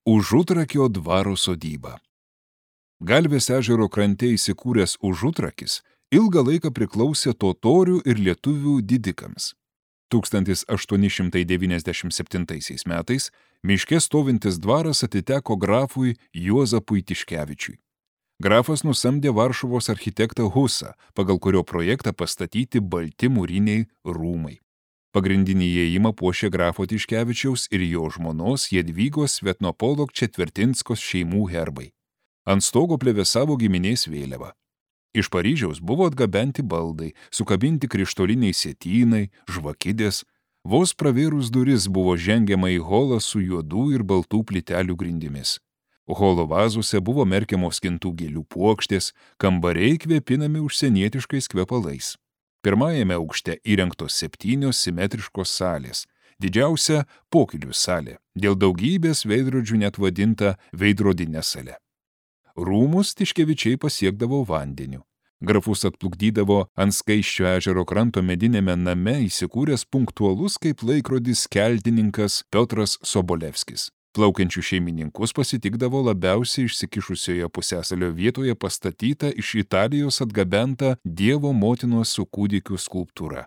Užutrakio dvaro sodyba. Galvės ežero krante įsikūręs Užutrakis ilgą laiką priklausė totorių ir lietuvių didikams. 1897 metais miške stovintis dvaras atiteko grafui Juozapui Tiškevičiui. Grafas nusamdė Varšuvos architektą Husą, pagal kurio projektą pastatyti balti mūriniai rūmai. Pagrindinį įėjimą puošė grafo Tiškevičiaus ir jo žmonos Jadvygos Svetnopolok Četvertinskos šeimų herbai. Ant stogo plevėsavo giminės vėliava. Iš Paryžiaus buvo atgabenti baldai, sukabinti krištoliniai sietynai, žvakidės. Vos pravėrus duris buvo žengiama į holą su juodų ir baltų plytelių grindimis. Holo vazuose buvo merkiamos skintų gėlių puokštės, kambariai kvėpinami užsienietiškais kvepalais. Pirmajame aukšte įrengtos 7 simetriškos salės, didžiausia pokylių salė, dėl daugybės veidrodžių net vadinta veidrodinė salė. Rūmus Tiškevičiai pasiekdavo vandeniu. Grafus atplukdydavo ant Skaisčio ežero kranto medinėme name įsikūręs punktualus kaip laikrodis keltininkas Piotras Sobolevskis. Plaukiančių šeimininkus pasitikdavo labiausiai išsikišusioje pusiasalio vietoje pastatyta iš Italijos atgabenta Dievo motinos su kūdikiu skulptūra.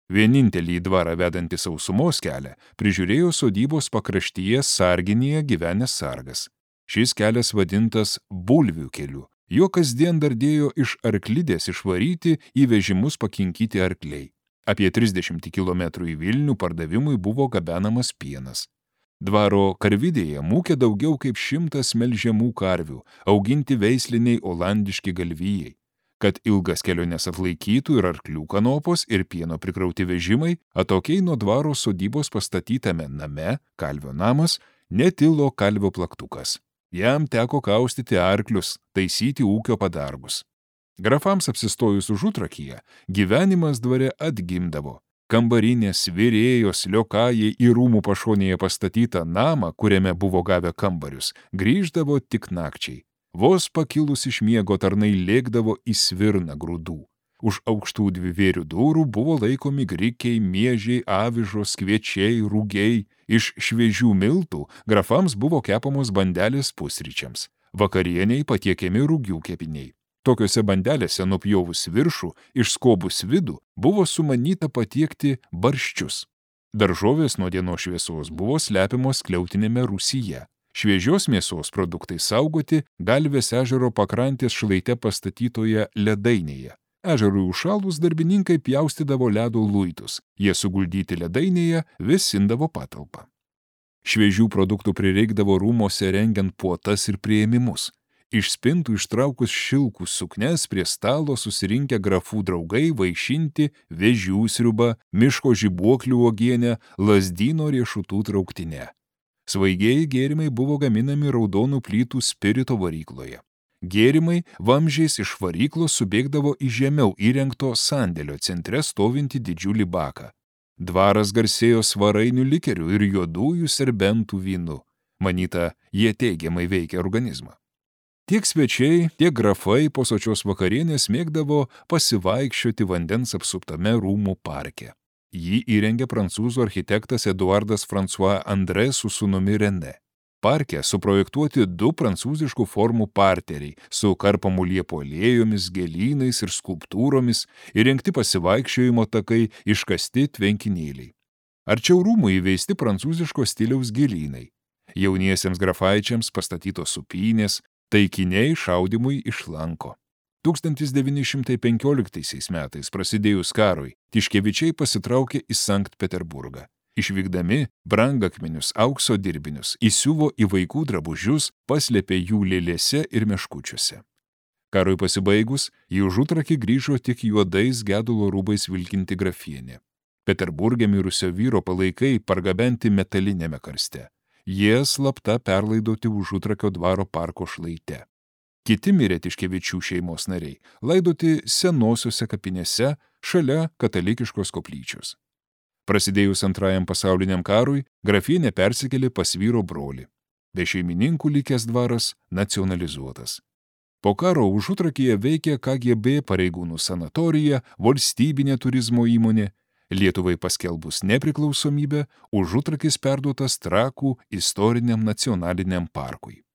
Vienintelį į dvarą vedantį sausumos kelią prižiūrėjo sodybos pakraštyje sarginėje gyvenęs sargas. Šis kelias vadintas bulvių keliu. Jo kasdien dardėjo iš arklidės išvaryti į vežimus pakinkyti arkliai. Apie 30 km į Vilnių pardavimui buvo gabenamas pienas. Dvaro karvidėje mūkė daugiau kaip 100 melžiamų karvių, auginti veisliniai olandiški galvijai. Kad ilgas keliones atlaikytų ir arklių kanopos ir pieno prikrauti vežimai, atokiai nuo dvaro sodybos pastatytame name, kalvio namas, netilo kalvio plaktukas. Jam teko kaustyti arklius, taisyti ūkio padargus. Grafams apsistojus Užutrakyje, gyvenimas dvare atgimdavo. Kambarinės, virėjos, liokajai į rūmų pašonėje pastatytą namą, kuriame buvo gavę kambarius, grįždavo tik nakčiai. Vos pakilus iš miego tarnai lėkdavo į svirną grūdų. Už aukštų dvivėrių durų buvo laikomi grikiai, miežiai, avižos, kviečiai, rūgiai. Iš šviežių miltų grafams buvo kepamos bandelės pusryčiams. Vakarieniai patiekiami rūgių kepiniai. Tokiose bandelėse nupjovus viršų, išskobus vidų, buvo sumanyta patiekti barščius. Daržovės nuo dienos šviesos buvo slepiamos skliautinėme rūsyje. Šviežios mėsos produktai saugoti Galvės ežero pakrantės šlaite pastatytoje ledainėje. Ežerui užšalus darbininkai pjaustydavo ledo luitus. Jie suguldyti ledainėje vėsindavo patalpą. Šviežių produktų prireikdavo rūmose rengiant puotas ir priėmimus. Iš spintų ištraukus šilkų suknes prie stalo susirinkę grafų draugai vaišinti vėžių sriubą, miško žibuoklių uogienę, lazdyno riešutų trauktinę. Svaigieji gėrimai buvo gaminami raudonų plytų spirito varykloje. Gėrimai vamzdžiais iš varyklos subėgdavo į žemiau įrengto sandėlio centre stovintį didžiulį baką. Dvaras garsėjo svarainių likerių ir juodųjų serbentų vynu. Manyta, jie teigiamai veikia organizmą. Tiek svečiai, tiek grafai po sočios vakarienės mėgdavo pasivaikščioti vandens apsuptame rūmų parke. Jį įrengė prancūzų architektas Eduardas François André su sūnumi René. Parke suprojektuoti 2 prancūziškų formų parteriai su karpamų liepų alėjomis, gėlynais ir skulptūromis, įrengti pasivaikščiojimo takai, iškasti tvenkinėliai. Arčiau rūmų įveisti prancūziško stiliaus gėlynai. Jauniesiems grafaičiams pastatytos supynės, taikiniai šaudimui iš lanko. 1915 metais prasidėjus karui, Tiškevičiai pasitraukė į Sankt Peterburgą. Išvykdami brangakmenius, aukso dirbinius, įsiuvo į vaikų drabužius, paslėpė jų lėlėse ir meškučiuose. Karui pasibaigus, į Užutrakį grįžo tik juodais gedulo rūbais vilkinti grafienė. Peterburge mirusio vyro palaikai pargabenti metalinėme karste. Jie slapta perlaidoti Užutrakio dvaro parko šlaite. Kiti mirė Tiškevičių šeimos nariai, laidoti senosiuose kapinėse šalia katalikiškos koplyčios. Prasidėjus Antrajam pasauliniam karui, grafienė persikėlė pas vyro brolį. Be šeimininkų likęs dvaras nacionalizuotas. Po karo Užutrakyje veikė KGB pareigūnų sanatorija, valstybinė turizmo įmonė. Lietuvai paskelbus nepriklausomybę, Užutrakis perduotas Trakų istoriniam nacionaliniam parkui.